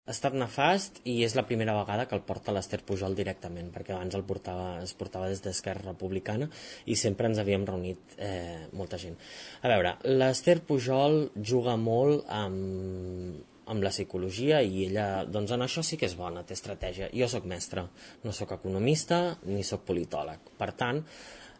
ha estat nefast i és la primera vegada que el porta l'Ester Pujol directament, perquè abans es portava des d'Esquerra Republicana i sempre ens havíem reunit molta gent. A veure, l'Ester Pujol juga molt amb la psicologia i ella, doncs en això sí que és bona, té estratègia. Jo sóc mestre, no sóc economista ni sóc politòleg. Per tant,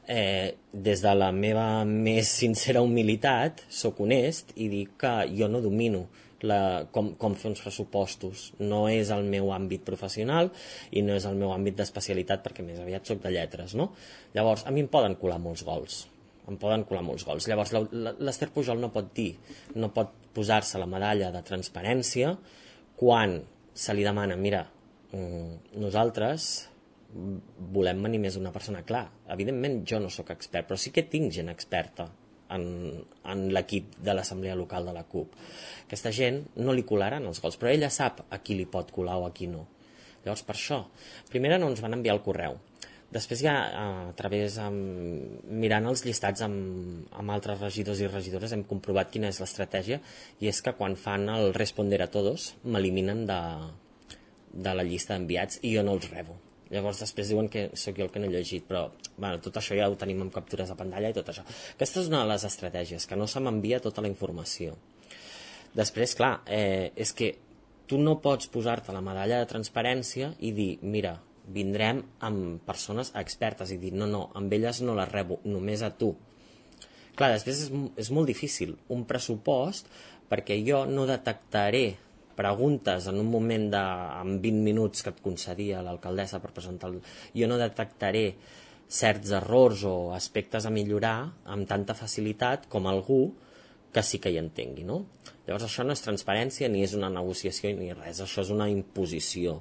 des de la meva més sincera humilitat, sóc honest i dic que jo no domino com fer uns pressupostos. No és el meu àmbit professional i no és el meu àmbit d'especialitat, perquè més aviat sóc de lletres, no? Llavors, a mi em poden colar molts gols. Llavors, l'Ester Pujol no pot dir, no pot posar-se la medalla de transparència quan se li demana, mira, nosaltres volem venir més una persona. Clar, evidentment jo no sóc expert, però sí que tinc gent experta en l'equip de l'assemblea local de la CUP. Aquesta gent no li colaran els gols, però ella sap a qui li pot colar o a qui no. Llavors, per això, primer no ens van enviar el correu. Després ja, a través, mirant els llistats amb altres regidors i regidores, hem comprovat quina és l'estratègia, i és que quan fan el responder a todos m'eliminen de la llista d'enviats i jo no els rebo. Llavors després diuen que sóc jo el que no he llegit, però bueno, tot això ja ho tenim amb captures de pantalla i tot això. Aquesta és una de les estratègies, que no se m'envia tota la informació. Després, clar, és que tu no pots posar-te la medalla de transparència i dir, mira, vindrem amb persones expertes, i dir, no, amb elles no les rebo, només a tu. Clar, després és molt difícil un pressupost, perquè jo no detectaré preguntes en un moment amb 20 minuts que et concedia l'alcaldessa per presentar jo no detectaré certs errors o aspectes a millorar amb tanta facilitat com algú que sí que hi entengui, no? Llavors això no és transparència ni és una negociació ni res, això és una imposició.